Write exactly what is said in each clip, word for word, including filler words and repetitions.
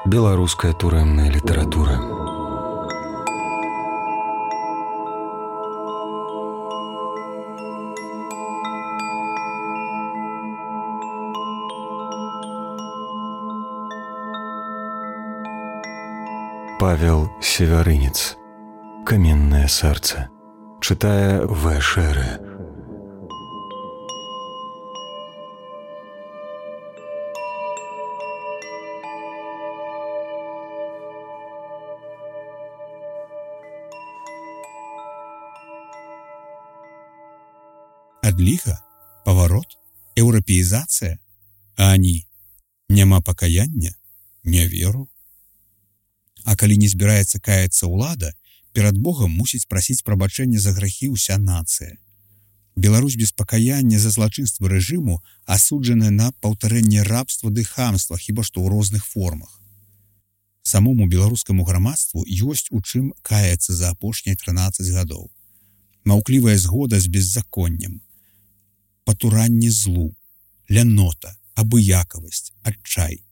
Беларуская турэмная літаратура. Павел Севярынец. Каменное сердце. Читая В. Шеры. Адліга, паварот, еўрапеізацыя, а ані няма пакаяння, не веру. А калі не збіраецца каяцца ўлада, перад Богам мусіць прасіць прабачэння за грахі ўся нацыя. Беларусь без пакаяння за злачынствы рэжыму асуджаная на паўтарэнне рабства ды хамства, хіба што ў розных формах. Самому беларускаму грамадству ёсць у чым каяцца за апошнія трынаццаць гадоў. Маўклівая згода з беззаконнем, патуранне злу, лянота, абыякавасць, адчай.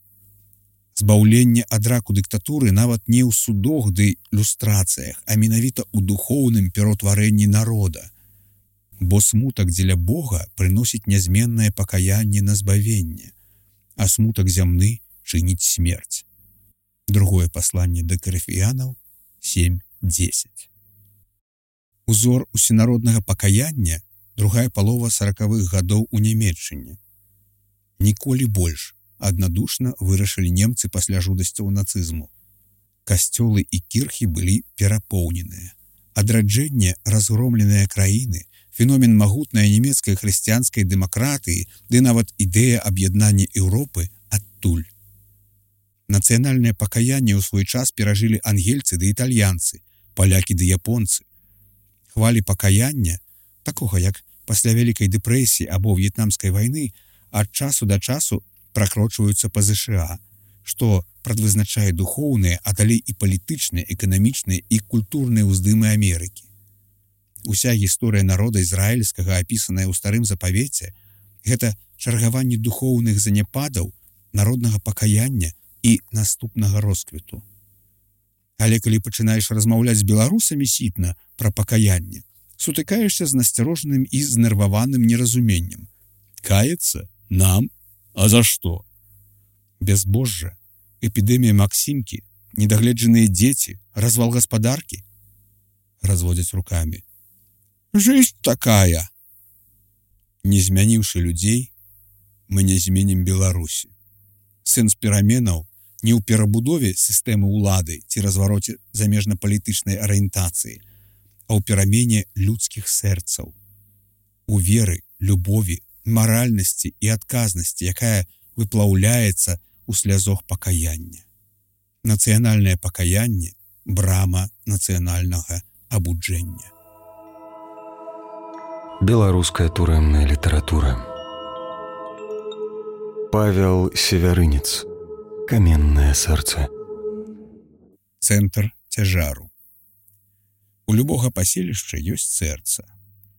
Збаўленне ад раку дыктатуры нават не ў судах ды люстрацыях, а менавіта ў духоўным пераўтварэнні народа. Бо смутак дзеля Бога прыносіць нязменнае пакаянне на збавенне, а смутак зямны чыніць смерць. Другое пасланне да Карыфіянаў сем дзесяць. Узор усенароднага пакаяння другая палова саракавых гадоў у Нямецчыне. Ніколі больш аднадушна вырашылі немцы пасля жудасцяў нацызму. Касцёлы і кірхі былі перапоўненыя. Адраджэнне разгромленыя краіны, феномен магутнай нямецкай хрысціянскай дэмакратыі ды нават ідэя аб'яднання Еўропы адтуль. Нацыянальнае пакаянне ў свой час перажылі ангельцы ды італьянцы, палякі ды японцы. Хвалі пакаяння, такога як пасля Вялікай дэпрэсіі або В'етнамскай вайны, ад часу да часу пракрочваюцца па ЗША, што прадвызначае духоўныя, а далей і палітычныя, эканамічныя і культурныя ўздымы Амерыкі. Уся гісторыя народа ізраільскага, апісаная ў старым запавеце, гэта чаргаванне духоўных заняпадаў, народнага пакаяння і наступнага росквіту. Але калі пачынаеш размаўляць з беларусамі сітна пра пакаянне, сутыкаешся з насцярожаным і знерваваным неразуменнем. Каяцца? Нам? А за што? Бязбожжа, эпідэмія Максімкі, недагледжаныя дзеці, развал гаспадаркі? Разводзяць рукамі. Жыць такая. Не змяніўшы людзей, мы не зменім Беларусі. Сэнс пераменаў не ў перабудове сістэмы ўлады ці развароце замежна-палітычнай арыентацыі, а ў перамене людскіх сэрцаў, у веры, любові, маральнасці і адказнасці, якая выплаўляецца ў слязох пакаяння. Нацыянальнае пакаянне – брама нацыянальнага абуджэння. Беларуская турэмная літаратура. Павел Севярынец. Каменное сердце. Цэнтр цяжару. У любога паселішча ёсць сэрца,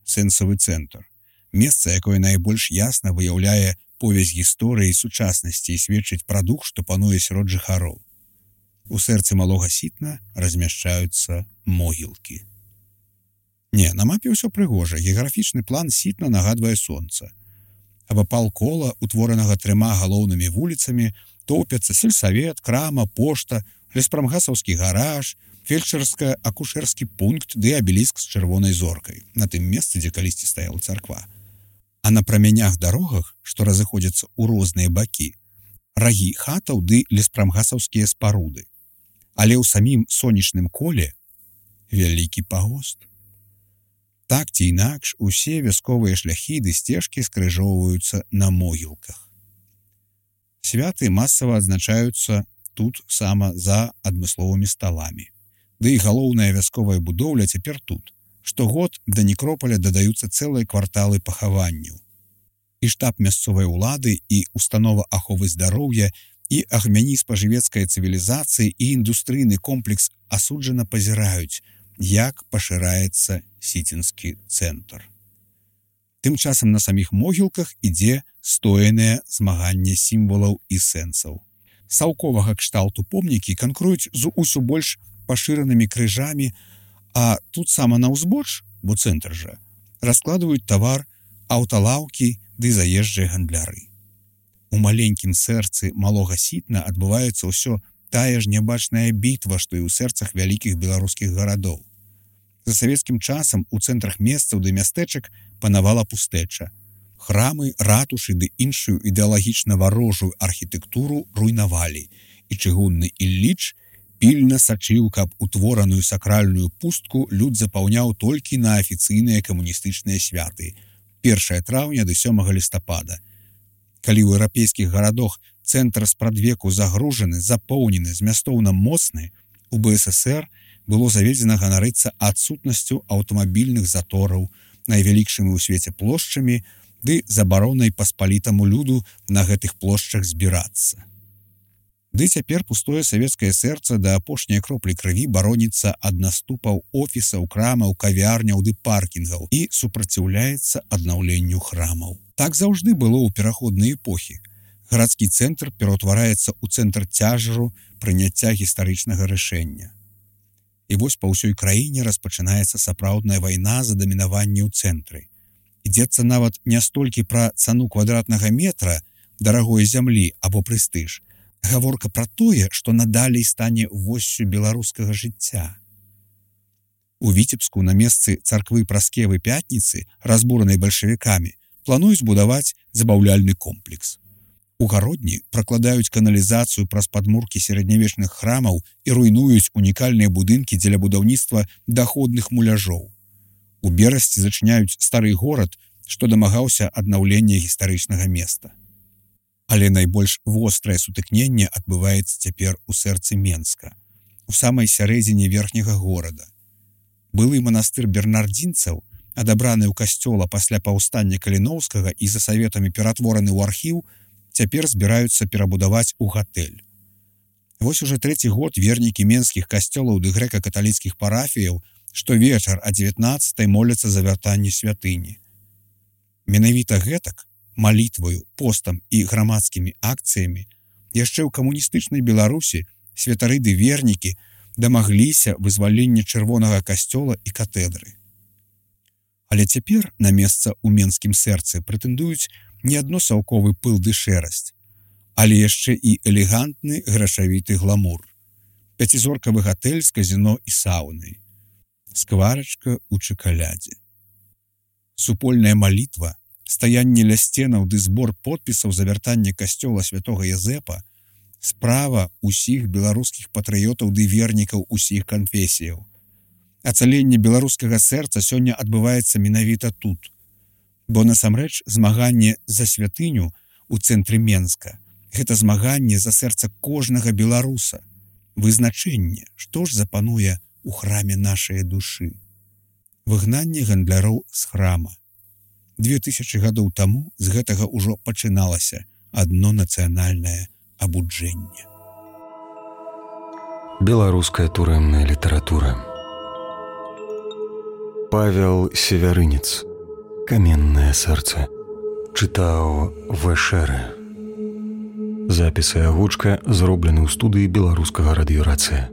сэнсавы цэнтр, месца, якое найбольш ясна выяўляе повязь гісторыі сучаснасці і сведчыць пра дух, што пануе сярод жыхароў. У сэрцы малога сітна размяшчаюцца могілкі. Не, на мапе ўсё прыгожа, геаграфічны план сітна нагадвае сонца. Абапал кола, утворанага трыма галоўнымі вуліцамі, топяцца сельсавет, крама, пошта, леспрамгасаўскі гараж, фельчарска-акушэрскі пункт ды абеліск з чырвонай зоркай, на тым месцы, дзе калісьці стаяла царква. А на прамянях дарогах, што разыходзяцца ў розныя бакі, рагі хатаў ды леспрамгасаўскія спаруды. Але ў самім сонечным коле вялікі пагост. Так ці інакш, усе вясковыя шляхі ды сцежкі скрыжоўваюцца на могілках. Святы масава адзначаюцца тут сама за адмысловымі сталамі. Ды і галоўная вясковая будоўля цяпер тут. Штогод да некропаля дадаюцца цэлыя кварталы пахаванняў. І штаб мясцовай улады, і установа аховы здароўя, і агмяні спажывецкай цывілізацыі, і індустрыйны комплекс асуджана пазіраюць, як пашыраецца сіцінскі цэнтр. Тым часам на саміх могілках ідзе стоенае змаганне сімвалаў і сэнсаў. саўковага кшталту помнікі канкуруюць з усё больш пашыранымі крыжамі, а тут сама на ўзбоч, бо цэнтр жа, раскладваюць тавар аўталаўкі ды заезджыя гандляры. У маленькім сэрцы малога Сітна адбываецца ўсё тая ж нябачная бітва, што і ў сэрцах вялікіх беларускіх гарадоў. За савецкім часам у цэнтрах месцаў ды мястэчак панавала пустэча. Храмы, ратушы ды іншую ідэалагічна варожую архітэктуру руйнавалі, і чыгунны Ілліч пільна сачыў, каб утвораную сакральную пустку люд запаўняў толькі на афіцыйныя камуністычныя святы першага траўня да сёмага лістапада. Калі ў еўрапейскіх гарадах цэнтр спрадвеку загружаны, запоўнены, змястоўна моцны, у бэ эс эс ер было заведзена ганарыцца адсутнасцю аўтамабільных затораў, найвялікшымі ў свеце плошчамі ды забаронай паспалітаму люду на гэтых плошчах збірацца. Ды цяпер пустое савецкае сэрца да апошняй кроплі крыві бароніцца ад наступаў офісаў, крамаў, кавярняў ды паркінгаў і супраціўляецца аднаўленню храмаў. Так заўжды было ў пераходныя эпохі. Гарадскі цэнтр пераўтвараецца ў цэнтр цяжару прыняцця гістарычнага рашэння. І вось па ўсёй краіне распачынаецца сапраўдная вайна за дамінаванне ў цэнтры. Ідзецца нават не столькі пра цану квадратнага метра дарагой зямлі або прэстыж. Гаворка пра тое, што надалей стане воссю беларускага жыцця. У Віцебску на месцы царквы Праскевы Пятніцы, разбуранай бальшавікамі, плануюць будаваць забаўляльны комплекс. У Гародні пракладаюць каналізацыю праз падмуркі сярэднявечных храмаў і руйнуюць унікальныя будынкі дзеля будаўніцтва даходных муляжоў. У Берасці зачыняюць стары горад, што дамагаўся аднаўлення гістарычнага места. Але найбольш вострае сутыкненне адбываецца цяпер у сэрцы Менска, у самай сярэдзіне верхняга горада. Былы манастыр бернардзінцаў, адабраны ў касцёла пасля паўстання Каліноўскага і за саветамі ператвораны ў архіў, цяпер збіраюцца перабудаваць у гатэль. Вось уже трэці год вернікі менскіх касцёлаў ды грэка-каталіцкіх парафіяў штовечар а дзевятнаццатай моляцца за вяртанне святыні. Менавіта гэтак, малітваю, постам і грамадскімі акцыямі, яшчэ ў камуністычнай Беларусі святары ды вернікі дамагліся вызвалення чырвонага касцёла і катэдры. Але цяпер на месца ў менскім сэрцы прэтэндуюць не адно саўковы пыл ды шэрасць, але яшчэ і элегантны грашавіты гламур. Пяцізоркавы гатэль з казіно і саунай. Скварачка ў чакалядзе. Супольная малітва, стаянне ля сценаў ды збор подпісаў за вяртанне касцёла святога Язэпа справа ўсіх беларускіх патрыётаў ды вернікаў усіх канфесіяў. Ацаленне беларускага сэрца сёння адбываецца менавіта тут, бо насамрэч змаганне за святыню ў цэнтры Менска – гэта змаганне за сэрца кожнага беларуса, вызначэнне, што ж запануе у храме нашай душы. Выгнанне гандляроў з храма. Две тысячы гадоў таму з гэтага ўжо пачыналася адно нацыянальнае абуджэнне. Беларуская турэмная літаратура. Павел Севярынец. Каменнае сэрца. Чытаў Вэшэрэ. Запіс і агучка зроблены ў студыі беларускага радыёрацыя.